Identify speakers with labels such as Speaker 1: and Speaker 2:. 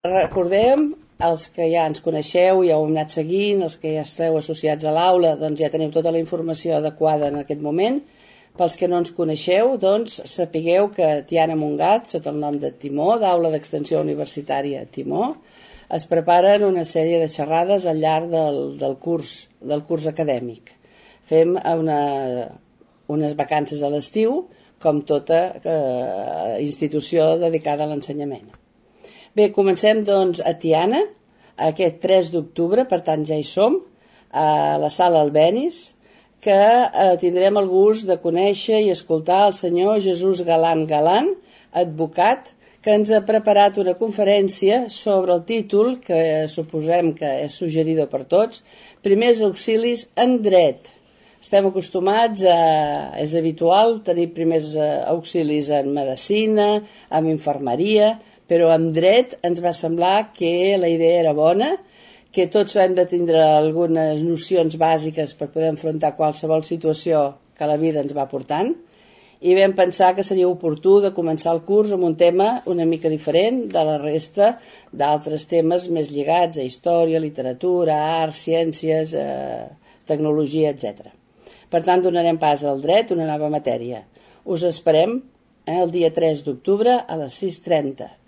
Speaker 1: Recordem, els que ja ens coneixeu, ja ho hem anat seguint, els que ja esteu associats a l'aula, doncs ja teniu tota la informació adequada en aquest moment. Pels que no ens coneixeu, doncs sapigueu que Tiana Montgat, sota el nom de Timó, d'Aula d'Extensió Universitària Timó, es preparen una sèrie de xerrades al llarg del curs acadèmic. Fem unes vacances a l'estiu, com tota institució dedicada a l'ensenyament. Bé, comencem doncs a Tiana, aquest 3 d'octubre, per tant ja hi som, a la sala Albéniz, que tindrem el gust de conèixer i escoltar el senyor Jesús Galán Galán, advocat, que ens ha preparat una conferència sobre el títol, que suposem que és suggerida per tots, Primers auxilis en dret. Estem acostumats és habitual tenir primers auxilis en medicina, en infermeria, però en dret ens va semblar que la idea era bona, que tots hem de tindre algunes nocions bàsiques per poder enfrontar qualsevol situació que la vida ens va portant, i vam pensar que seria oportú de començar el curs amb un tema una mica diferent de la resta d'altres temes més lligats a història, literatura, art, ciències, tecnologia, etc. Per tant, donarem pas al dret, una nova matèria. Us esperem el dia 3 d'octubre a les 6:30.